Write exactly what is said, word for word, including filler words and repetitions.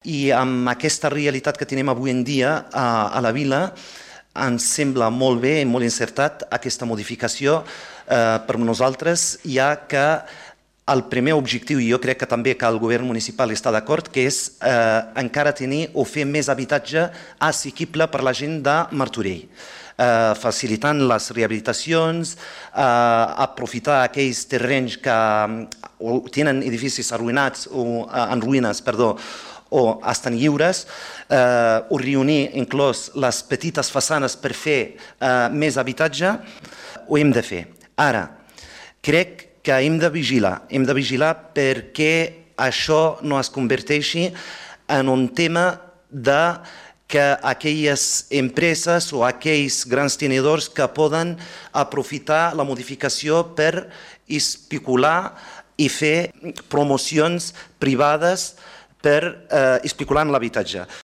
I amb aquesta realitat que tenim avui en dia a, a la vila, ens sembla molt bé i molt encertat aquesta modificació eh, per nosaltres, ja que el primer objectiu, i jo crec que també que el govern municipal està d'acord, que és eh, encara tenir o fer més habitatge assequible per la gent de Martorell, eh, facilitant les rehabilitacions, eh, aprofitar aquells terrenys que o tenen edificis arruïnats o eh, en ruïnes, perdó, o estan lliures, eh, o reunir inclòs les petites façanes per fer eh, més habitatge, ho hem de fer. Ara, crec que hem de vigilar, hem de vigilar perquè això no es converteixi en un tema de que aquelles empreses o aquells grans tenidors que poden aprofitar la modificació per especular i fer promocions privades per eh, especular en l'habitatge.